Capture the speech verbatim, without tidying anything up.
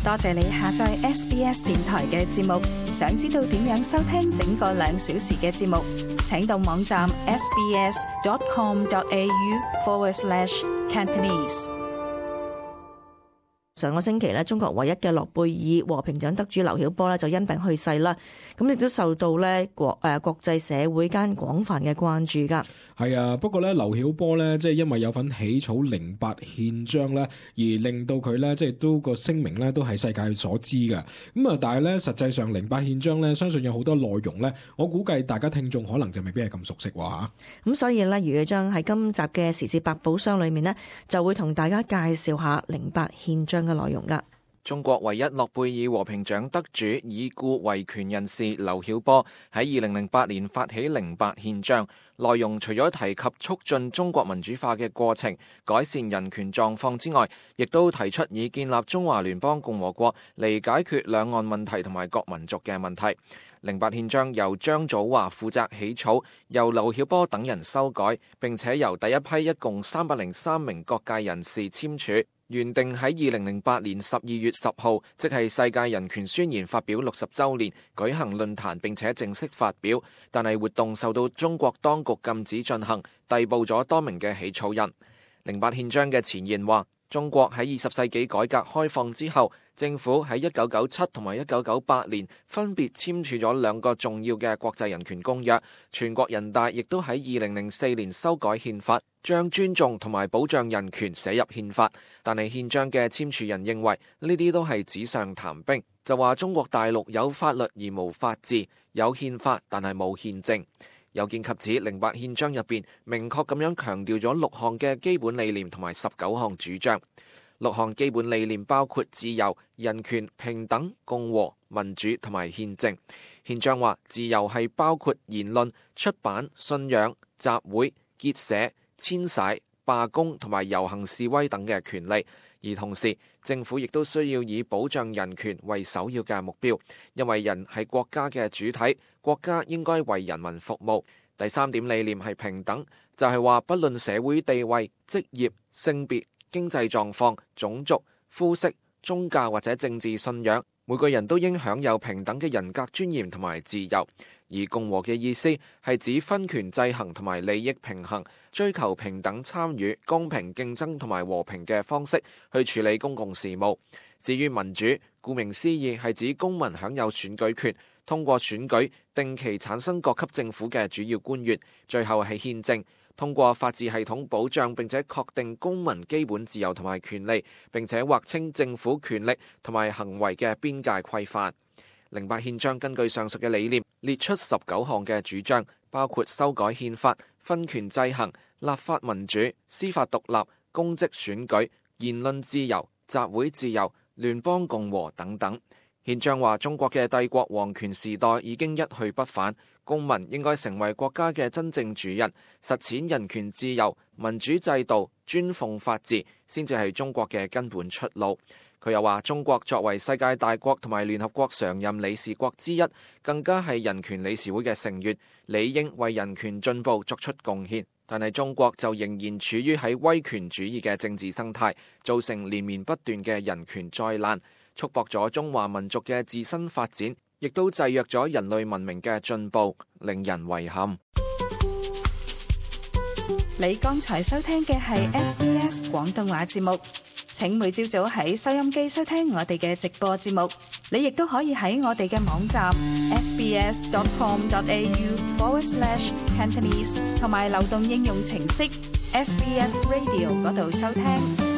多謝你下載 S B S 電台嘅節目。想知道點樣收聽整個兩小時嘅節目，請到網站 sbs.com.au forward slash Cantonese。上個星期咧，中國唯一嘅諾貝爾和平獎得主劉曉波咧就因病去世啦。咁亦都受到咧國誒國際社會間廣泛嘅關注噶。係啊，不過咧劉曉波咧即係因為有份起草零八憲章咧，而令到佢咧即係都個聲名咧都係世界所知嘅。咁啊，但係咧實際上零八憲章咧，相信有好多內容咧，我估計大家聽眾可能就未必係咁熟悉喎嚇。咁所以咧，余偉將喺今集嘅時事百寶箱裏面呢，就會同大家介紹下零八憲章嘅內容噶。中國唯一諾貝爾和平獎得主已故維權人士劉曉波喺二零零八年發起零八憲章，內容除咗提及促進中國民主化嘅過程、改善人權狀況之外，亦都提出以建立中華聯邦共和國嚟解決兩岸問題同埋各民族嘅問題。零八憲章由張祖華負責起草，由劉曉波等人修改，並且由第一批一共三百零三名各界人士簽署。原定喺二零零八年十二月十號，即係世界人權宣言發表六十週年，舉行論壇並且正式發表，但係活動受到中國當局禁止進行，逮捕咗多名嘅起草人。零八憲章嘅前言話，中國喺二十世紀改革開放之後，政府喺一九九七同埋一九九八年分別簽署咗兩個重要嘅國際人權公約，全國人大亦都喺二零零四年修改憲法，將尊重同埋保障人權寫入憲法。但係憲章嘅簽署人認為呢啲都係紙上談兵，就話中國大陸有法律而無法治，有憲法但係冇憲政。有見及此，零八憲章入邊明確咁樣強調咗六項嘅基本理念同埋十九項主張。六項基本理念包括自由、人權、平等、共和、民主同埋憲政。憲章話自由係包括言論、出版、信仰、集會、結社、遷徙、罷工同埋遊行示威等嘅權利，而同時政府亦都需要以保障人權為首要嘅目標，因為人係國家嘅主體，國家應該為人民服務。第三點理念係平等，就係話不論社會地位、職業、性別、經濟狀況、種族、膚色、宗教或者政治信仰，每個人都應享有平等嘅人格尊嚴同埋自由。而共和嘅意思係指分權制衡同埋利益平衡，追求平等參與、公平競爭同埋和平嘅方式去處理公共事務。至於民主，顧名思義係指公民享有選舉權，通過選舉定期產生各級政府嘅主要官員。最後係憲政，通過法治系統保障並且確定公民基本自由同埋權利，並且劃清政府權力同埋行為嘅邊界規範。零八憲章根據上述嘅理念列出十九項嘅主張，包括修改憲法、分權制衡、立法民主、司法獨立、公職選舉、言論自由、集會自由、聯邦共和等等。憲章話中國嘅帝國皇權時代已經一去不返，公民應該成為國家嘅真正主人，實踐人權自由、民主制度、尊奉法治，先至係中國嘅根本出路。佢又話中國作為世界大國同埋聯合國常任理事國之一，更加係人權理事會嘅成員，理應為人權進步作出貢獻。但係中國就仍然處於喺威權主義嘅政治生態，造成連綿不斷嘅人權災難，束縛咗中華民族嘅自身發展，亦都制約咗人類文明嘅進步，令人遺憾。你剛才收聽嘅係 S B S 廣東話節目。請每朝早喺收音機收聽我哋嘅直播節目，你亦都可以喺我哋嘅網站 sbs.com.au forward slash Cantonese 同埋流動應用程式 S B S Radio 嗰度收聽。